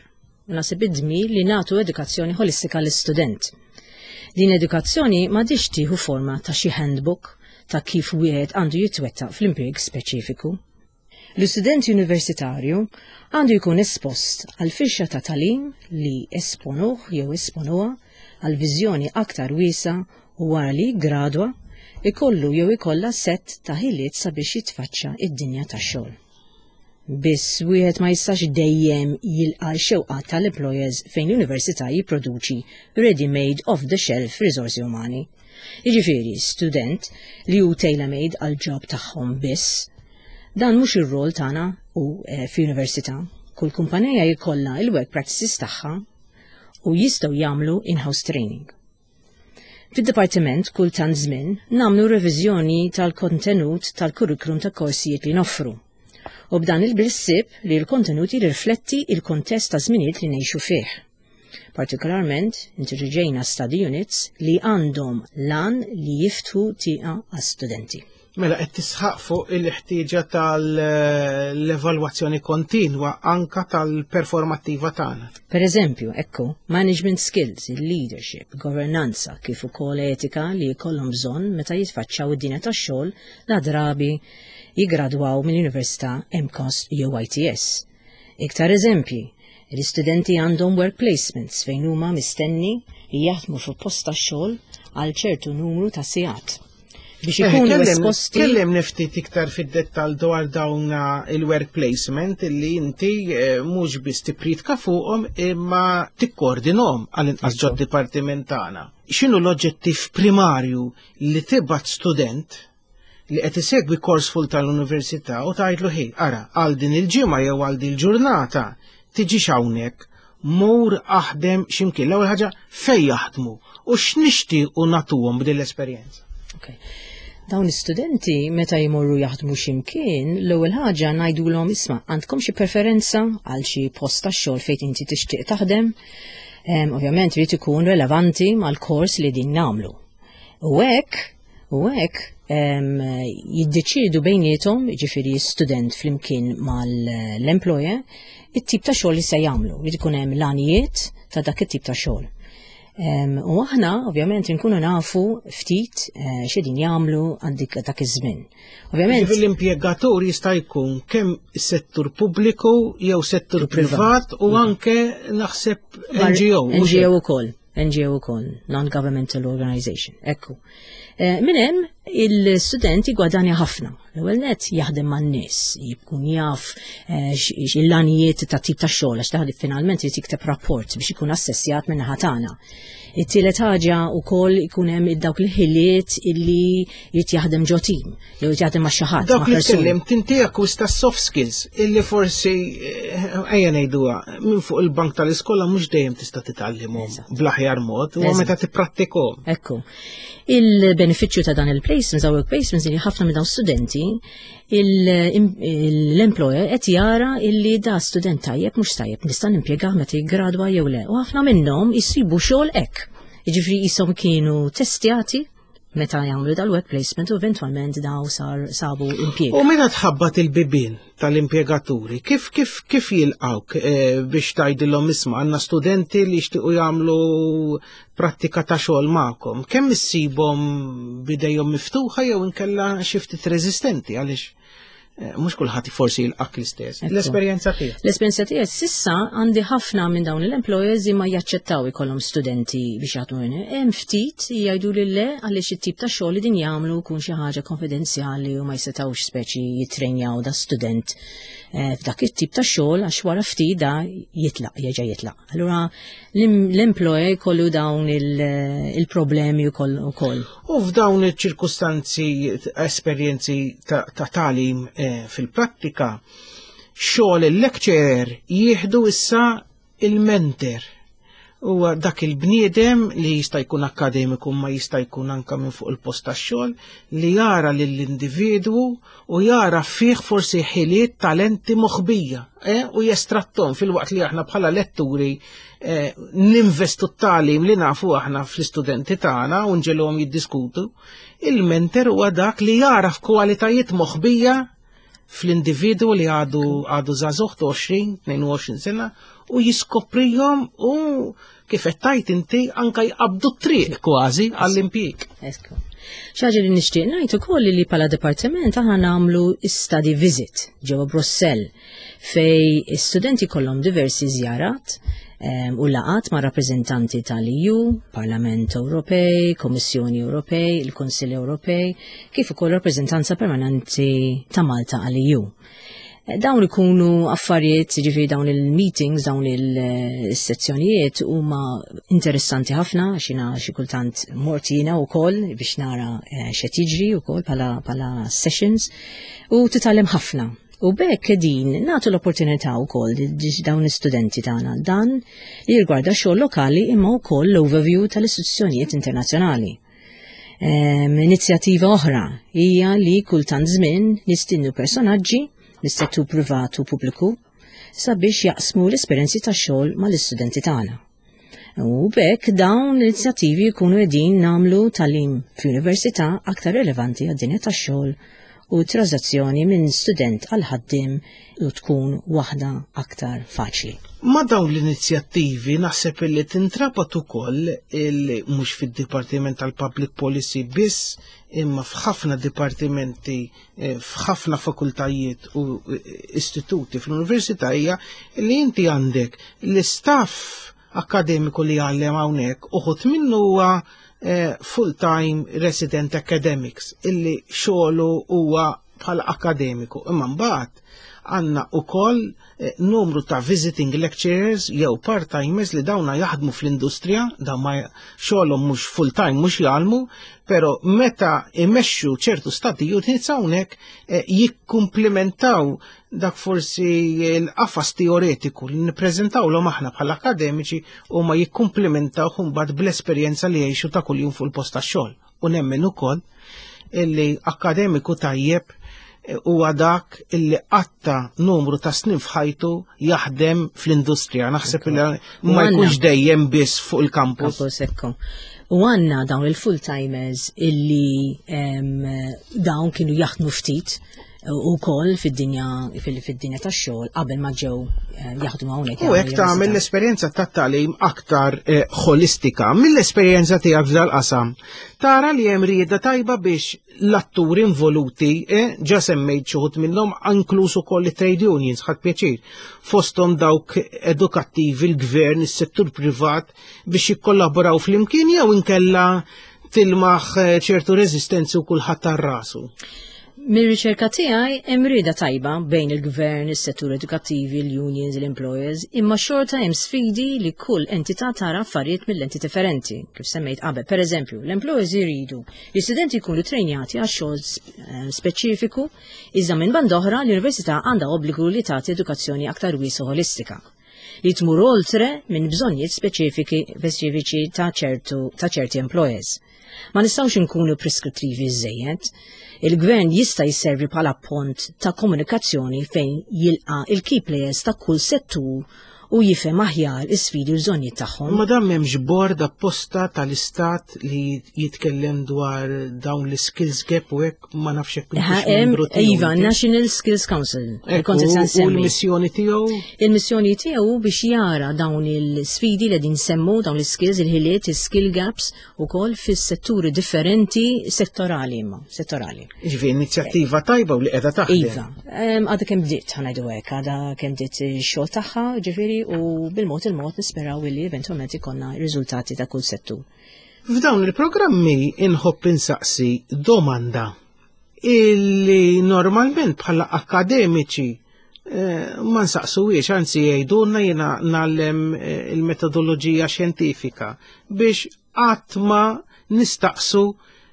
naħseb id-dmir, li nagħtu edukazzjoni holistika l-istudent. Din edukazzjoni m'għandhiex tieħu forma ta' xi handbook ta' kif wieħed għandu jitwettaq fl-impjieg speċifiku. L-istudent universitarju għandu jkun espost għal firxa ta' tagħlim li jesponuh jew jesponuha għal viżjoni aktar wiesgħa u wara li gradwa ikollu jew ikollha set ta' ħiliet sabiex jitfaċċa id-dinja tax-xogħol. Biss wieħed ma jistax dejjem jilqa' x-xewqat tal-employers fejn l-università jipproduċi ready-made off-the-shelf riżorsi umani. Jiġifieri student li hu tailor-made għal job tagħhom biss. Dan mhux ir-rol tagħna u eh, fi università. Kull kumpanija jkollha il-work practices tagħha u jistgħu jagħmlu in-house training. Fid-dipartiment kull tant żmien nagħmlu reviżjoni tal-kontenut tal-kurrikulum ta' korsijiet li noffru. U b'dan il-ħsieb li l-kontenut jirrifletti il-kontest ta' żminijiet li ngħixu fih. Partikolarment, introduċejna study units li għandhom l-għan li jiftħu tieqa għas-studenti. Mela qed tisħaq fuq il-ħtieġa tal-evalwazzjoni kontinwa anka tal-performattiva tagħna. Per eżempju, ekku, management skills, leadership, governanza, kif ukoll etika li jkollhom bżonn meta jitfaċċaw id-dinja tax-xogħol la drabi jigradwaw mill-Università, M CAST jew I T S. Iktar eżempji, l-istudenti għandhom work placements fejn huma mistenni li jaħdmu fuq post tax-xogħol għal ċertu numru ta' sigħat biex Eh, ikunu kellem- esposti. Kellimni ftit iktar fid-dettal dwar dawn il-work placement illi inti eh, mhux biss tippriedka fuqhom imma tikkoordinhom għall-inqas ġod dipartiment tagħna. X'inhu l-oġġettiv primarju li tibgħat student li qed isegwi kors full tal-università u tgħidlu: "Ħi, ara, għal din il-ġimgħa jew għal din il-ġurnata tiġix hawnhekk, mur aħdem x'imkien"? L-ewwel ħaġa, fejn jaħdmu u x'nixtiequ nagħtuhom b'din l-esperjenza? Okay. Dawn l-istudenti meta jmorru jaħdmu x'imkien, l-ewwel ħaġa ngħidulhom: "Isma', għandkom xi preferenza għal xi post tax-xogħol fejn inti tixtieq taħdem?" Em, Ovvjament irid ikun relevanti mal-kors li din nagħmlu. U hekk, u hekk em, jiddeċidu bejniethom, ġifieri student flimkien mal-employer, it-tip ta' xogħol li se jagħmlu. Irid ikun hemm l-għanijiet ta' dak it-tip ta' xogħol. Em, U aħna ovvjament nkunu nafu ftit eh, x'qedin jagħmlu għandik dak iż-żmien. Ovvjament Ġifieri l-impjegatur jista' jkun kemm settur pubbliku jew settur privat u anke naħseb N G O mhux N G O ukoll, N G O ukoll, Non-Governmental Organization. Ekku. Eh, Minn hemm il-student jigwadanja ħafna. L-ewwel net jaħdem man-nies, jkun jaf eh, x-l-għanijiet ta' tip ta' xogħol għax taħdem finalment irid jikteb rapport biex ikun assessjat minn naħa tagħna. It-tielet ħaġa wkoll ikun hemm dawk il-ħiliet illi jrid jaħdem ġo team, jew jrid jaħdem ma' xi ħadd. Dawk ma' li persuni. tkellim inti akkwista soft skills illi forsi eh, ejja ngħiduha minn fuq il-bank tal-iskola mhux dejjem tista' titgħallimhom bl-aħjar mod u Eżatt. meta tipprattikhom. Ekku. Il-benefiċċju ta' dan il-placement placements, work placements, li ħafna minn dawn studenti, l-employer qed jara illi da student tajjeb mhux tajjeb, nista' nimpjegah meta jiggradwa jew le. U ħafna minnhom jsibu xogħol hekk. Jiġifieri qishom kienu testjati meta jagħmlu dal-work placement u eventwalment daw sar sabu impjieg. U meta tħabbat il-bibien tal-impjegaturi, kif kif kif jilqawk eh, biex tgħidilhom, "Isma', għandna studenti li jixtiequ jagħmlu prattika ta' xogħol magħkom"? Kemm issibhom bidejhom miftuħa jew inkella xi ftit reżistenti, għaliex eh, mhux kulħadd forsi jilqak l-istess? L-esperjenza tiegħek. L-esperjenza tiegħek s'issa, għandi ħafna minn dawn l-employers ma jaċċettaw ikollhom studenti biex jaħdmu. Hemm ftit jgħidu li le, għaliex it-tip ta' xogħol li din jagħmlu jkun xi ħaġa konfidenzjali u ma jsetawx speċi jitrenjaw da student eh, f'dak it-tip ta' xogħol, għax wara ftit da jitlaq, jerġa' jitlaq. Allura l-employer jkollu dawn il-problemi wkoll ukoll. U f'dawn iċ-ċirkustanzi, esperjenzi ta' tagħlim eh, fil-prattika, xogħol il-lecturer jieħdu issa il-mentor. Huwa dak il-bniedem li jista' jkun akademiku ma jista' jkun anka minn fuq il-post tax-xogħol, li jara lill-individwu u jara fih forsi ħiliet, talenti moħbija eh, u jestrattom, filwaqt li aħna bħala letturi eh, ninvestu t-tagħlim li nafu aħna fl-istudenti tagħna u nġegħluhom jiddiskutu. Il-mentor huwa dak li jara f'kwalitajiet moħbija fl-individwu li għadu għadu żagħżugħ ta' għoxrin, tnejn u għoxrin sena u jiskoprijhom u, kif qed tgħid inti, anka jqabdu triq kważi għall-impjieg. Ekku. Xi ħaġa li nixtieq ngħid ukoll li bħala dipartiment aħna nagħmlu study visit ġewwa Brussell, fej studenti kollhom diversi żjarat u laqat ma' rappreżentanti tal-E U, Parlament Ewropej, Kommissjoni Ewropej, il-Kunsill Ewropej, kif ukoll rappreżentanza permanenti ta' Malta għall-E U. Dawn ikunu affarijiet, ġifieri dawn il-meetings, dawn il-sezzjonijiet huma interessanti ħafna, xina xi kultant mort jiena wkoll biex nara eh, x'qed jiġri wkoll bħala sessions u titgħallem ħafna. U b'hekk din nagħtu l-opportunità wkoll dawn l-istudenti tagħna dan li jirgwarda xogħol lokali imma wkoll l-overview tal-istituzzjonijiet internazzjonali. Inizjattiva oħra hija li kultant żmien nistiednu personaġġi mis-settur privat u pubbliku sabiex jaqsmu l-esperjenzi ta' xogħol mal-istudenti tagħna. U b'hekk dawn l-inizjattivi jkunu qegħdin nagħmlu tagħlim fl-università aktar relevanti għad-dinja tax-xogħol u transazzjoni minn student għal ħaddim u tkun waħda aktar faċli. Ma dawn l-inizjattivi naħseb li tintrabat ukoll il mhux fid-Dipartiment tal-Public Policy biss, imma f'ħafna dipartimenti, eh, f'ħafna fakultajiet u eh, istituti fl-università, hija li inti għandek l-istaff akademiku li għallem hawnhekk, uħud minnu huwa eh, full-time resident academics illi xogħlu huwa bħala akademiku. Imma mbagħad għandna ukoll eh, numru ta' visiting lecturers jew part-timers li dawna jaħdmu fl-industrija, dawn ma xogħolhom mhux full-time, mhux jgħallmu, però meta imexxu ċertu study units hawnhekk eh, jikkumplementaw dak forsi l-qafas teoretiku li nippreżentawlhom aħna bħala akademiċi u ma jikkumplementaw mbagħad bl-esperjenza li jgħixu ta' kuljum fuq il-post tax-xogħol. U nemmen ukoll illi akademiku tajjeb huwa dak illi qatta numru ta' snin f'ħajtu jaħdem fl-industrija. Naħseb li ma jkunx dejjem biss fuq il-campus. Campus, ekku. U għandna dawn il-full-timers illi em, dawn kienu jaħdmu ftit u koll fid-dinja fil-dinja tax-xogħol qabel ma ġew eh, jaħdmu hawnhekk. U hekk tagħmel l-esperjenza tat-tagħlim aktar eh, holistika. Mill-esperjenza tiegħek f'dal-qasam, tara li hemm rieda tajba biex l-atturi involuti, eh, ġa semmejt xi wħud minnhom, inkluż ukoll it-trade unions, ħadt pjaċir, fosthom dawk edukattivi, il-gvern, is-settur privat, biex jikkollaboraw flimkien, jew inkella tilmaħ eh, ċertu reżistenzi u kulħadd tar rasu? Mir-riċerka tiegħi hemm rieda tajba bejn il-gvern, is-settur edukattivi, l-unions, l-employers, imma xorta hemm sfidi li kull entità tara affarijiet mill-enti differenti, kif semmejt qabel. Per eżempju, l-employers jridu li studenti jkunu trejnjati għal xogħol eh, speċifiku, iżda minn banda oħra l-università għandha obbligu li tagħti edukazzjoni aktar wiesgħa, holistika, li tmur oltre minn bżonnijiet speċifiki speċifiċi ta' ċertu ta' ċerti employers. Ma nistgħux inkunu preskrittivi żejjed. Il-gvern jista' jisservi bħala pont ta' komunikazzjoni fejn jilqa' il-key players ta' kull settur u jifhem aħjar is-sfidi u l-bżonnijiet tagħhom. Ma dan m'hemmx bord apposta tal-istat li jitkellem dwar dawn l-skills gap u hekk, ma nafx hekk Ha, intix hemm- membru tiegħu Iva, inti. National Skills Council. Li Ekku, kont qed u nsemmi. l-missjoni tiegħu? Il-missjoni tiegħu biex jara dawn il-sfidi li din semmu, dawn l-skills, il-ħiliet, il-skill gaps ukoll fis-setturi differenti settorali imma, settorali. Ġifieri inizjattiva tajba u li qiegħda taħdem. Iva, em, għadha kemm bdiet, ħa ngħidu hekk, għadha kemm bdiet ix-xogħol tagħha, ġifieri, u bil-mod il-mod nisperaw illi eventwalment ikollna riżultati ta' kull settur. F'dawn il-programmi inħobb insaqsi domanda illi normalment bħala akademiċi eh, ma nsaqsuwiex, anzi jgħidulna, jiena ngħallem eh, il-metodoloġija xjentifika, biex qatt ma nistaqsu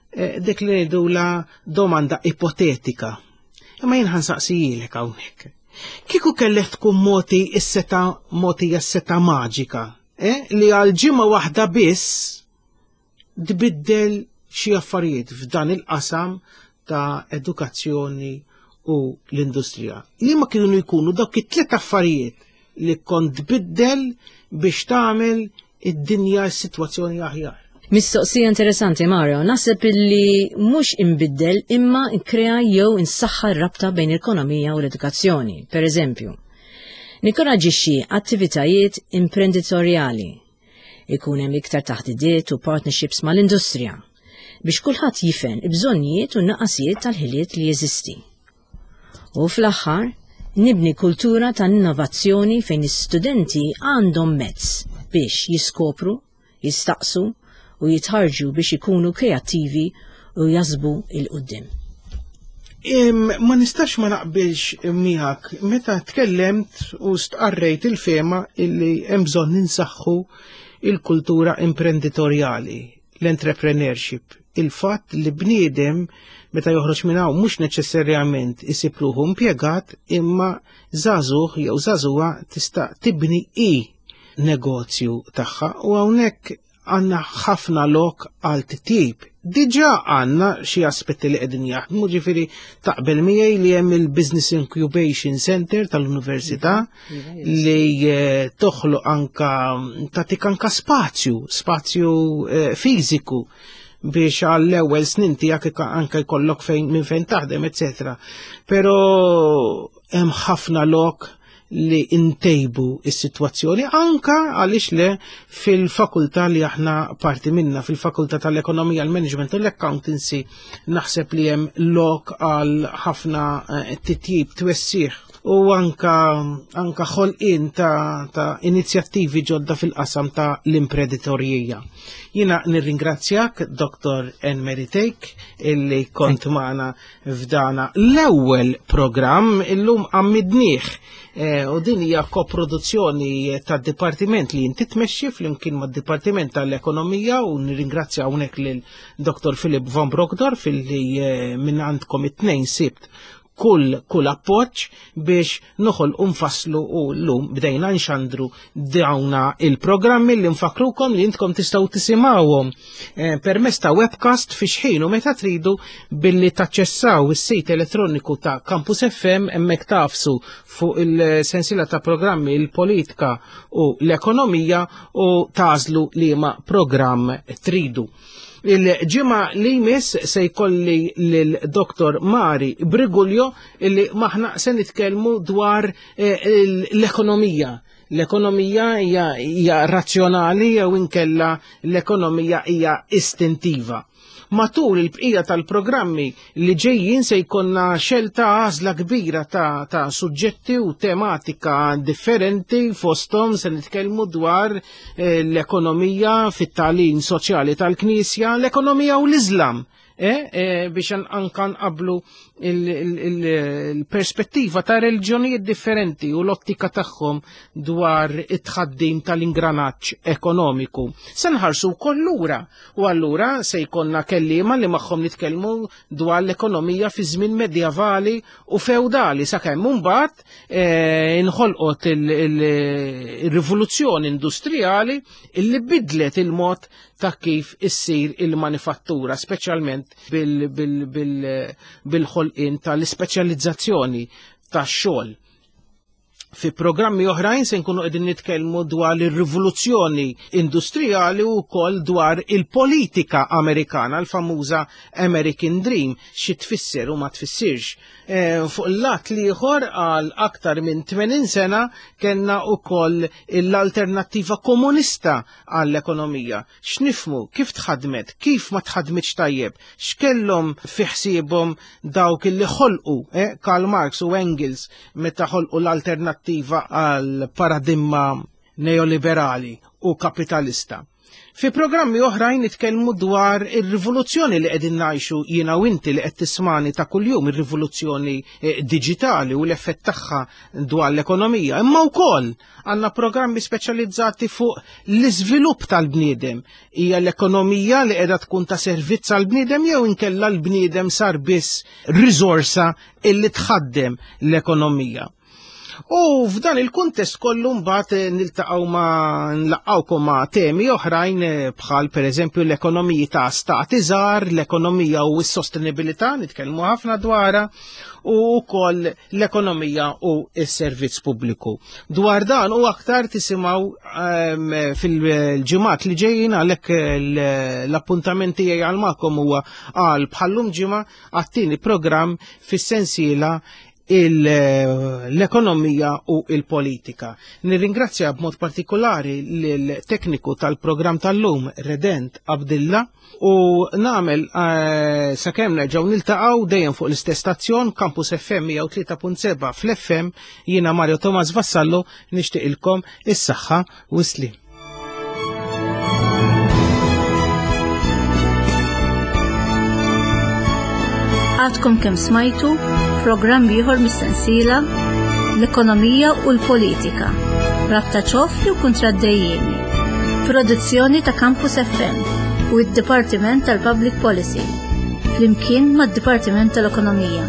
eh, dik li ngħidula domanda ipotetika. Imma jien ħa nsaqsijilek hawnhekk. Kieku kellek tkun mogħti s-setgħa, mogħtija s-setgħa maġika, eh, li għal ġimgħa waħda biss tbiddel xi affarijiet f'dan il-qasam ta' edukazzjoni u l-industrija. Li ma kienu jkunu dawk it-tliet affarijiet li kont tbiddel biex tagħmel id-dinja, s-sitwazzjoni aħjar? Mistoqsija interessanti, Mario. Naħseb illi mhux imbiddel imma nkrea jew insaħħa r-rabta bejn l-ekonomija u l-edukazzjoni. Per eżempju, ninkoraġġixxi attivitajiet imprenditorjali. Ikun hemm iktar taħdidiet u partnerships mal-industrija biex kulħadd jifhem il-bżonnijiet u n-naqasijiet tal-ħiliet li jeżisti. U fl-aħħar, nibni kultura ta' innovazzjoni fejn is-studenti għandhom mezz biex jiskopru, jistaqsu u jitħarġu biex ikunu kreattivi u jaħsbu 'l quddiem. Im, ma nistax ma naqbilx miegħek meta tkellemt u stqarrejt il-fehma illi hemm bżonn ninsaħħu il-kultura imprenditorjali, l-entrepreneurship, il-fatt li bniedem meta joħroġ minn hawn mhux neċessarjament isib ruħu impjegat, imma żagħżugħ jew żagħżugħa tista' tibni i negozju tagħha, u hawnhekk għandna ħafna lok għal titjib. Diġà għandna xi aspetti li qegħdin jaħdmu, ġifieri taqbel miegħi li hemm il-Business Incubation Center tal-Università li eh, toħloq anka, tagħtik anka spazju, spazju eh, fiżiku biex għall-ewwel snin tiegħek anka jkollok fejn minn fejn taħdem, eċetera. Però hemm ħafna lok li intejbu is-sitwazzjoni anka, għaliex le, fil-fakultà li aħna parti minna, fil-fakultà tal-ekonomija, l-management u l-accountancy, naħseb li hemm lok għal ħafna eh, titjib, twessiħ u anka anka ħolqien ta', ta inizjattivi ġodda fil-qasam ta' l-imprenditorija. Jiena nirringrazzjak, Doktor Anne Take, illi kont magħna f'dana l-ewwel programm illum għammidnieh eh, u din hija koproduzzjoni tad-dipartiment li inti tmexxi flimkien mad-Dipartiment tal-Ekonomija, u nirringrazzja hawnhekk lil Doktor Philip von Brockdorff illi eh, minn għandkom it-tnejn sibt kull kull appoġġ biex noħol nfasslu u llum bdejna nxandru dawna il-programmi li nfakrukom li intkom tistgħu tisimgħuhom eh, permezz ta' webcast fi xħin u meta tridu billi taċċessaw is-sit elettroniku ta' Campus F M. Hemmhekk tagħfsu fuq il-sensiela ta' programmi il-politika u l-ekonomija u tagħżlu liema programm tridu. Il-ġimgħa li jmiss se jkolli lil Doktor Mari Brigulio illi magħha se nitkellmu dwar eh, l-ekonomija. L-ekonomija hija hija razzjonali jew inkella l-ekonomija hija istintiva? Matul il-bqija tal-programmi li ġejjin se jkollna xelta, għażla kbira ta', ta' suġġetti u tematika differenti. Fosthom se nitkellmu dwar eh, l-ekonomija fit-tagħlim soċjali tal-Knisja, l-ekonomija u l-Iżlam. Eh, eh, biex anka nqablu il-perspettiva ta' reliġjonijiet differenti u l-ottika tagħhom dwar it-tħaddim tal-ingranaġġ ekonomiku. Se nħarsu wkoll lura u allura se jkollna kelliema li magħhom nitkellmu dwar l-ekonomija fi żmien medjevali u feudali sakemm mbagħad eh, inħolqot il-rivoluzzjoni industrijali illi bidlet il-mod ta' kif issir il-manifattura, speċjalment bil-ħolqien tal-ispeċjalizzazzjoni tax-xogħol. Fi programmi oħrajn se nkunu qegħdin nitkellmu dwar ir-rivoluzzjoni industrijali u wkoll dwar il-politika Amerikana, l-famuża American Dream, xi tfisser u ma tfissirx. E, fuq il-lat l-ieħor għal aktar minn tmenin sena kellna wkoll l-alternattiva komunista għall-ekonomija. X'nifmu, kif tħadmet, kif ma tħadmitx tajjeb, x'kellhom fi ħsiebhom dawk li ħolqu, eh, Karl Marx u Engels meta ħolqu l-alternattiva għal paradigma neoliberali u kapitalista. Fi programmi oħrajn nitkellmu dwar ir-rivoluzzjoni li qegħdin ngħixu jiena u inti li qed tismani ta' kuljum, ir-rivoluzzjoni diġitali u l-effett tagħha dwar l-ekonomija. Imma wkoll għandna programmi speċjalizzati fuq l-iżvilupp tal-bniedem. Hija l-ekonomija li qiegħda tkun ta' servizz għall-bniedem jew inkella l-bniedem sar biss riżorsa illi tħaddem l-ekonomija. U f'dan il-kuntest kollu mbagħad niltaqgħu ma' nlaqgħukom ma' temi oħrajn bħal pereżempju l-ekonomiji ta' stati żgħar, l-ekonomija u s-sostenibilità, nitkellmu ħafna dwarha, u wkoll l-ekonomija u s-servizz pubbliku. Dwar dan u aktar tisimgħu um, fil-ġimgħat li ġejjin, għalhekk l-appuntament tiegħi għal magħkom huwa għal bħallum ġimgħa għat-tieni programm fis-sensiela l-ekonomija u il-politika. Nirringrazzja b'mod partikolari l-tekniku tal-programm tal-lum, Redent Abdilla, u nagħmel uh, sakemm nerġgħu niltaqgħu dejjem fuq l-istess stazzjon Campus F M mija u tlieta punt seba' fl-F M. Jiena Mario Thomas Vassallo nixtieqilkom is-saħħa u s-slim. Għadkom kemm smajtu programm ieħor mis-sensiela L-Ekonomija u l-Politika, rabta ċoffi u kontraddejjeni, produzzjoni ta' Campus F M u d-Dipartiment tal-Public Policy, flimkien mad-Dipartiment tal-Ekonomija.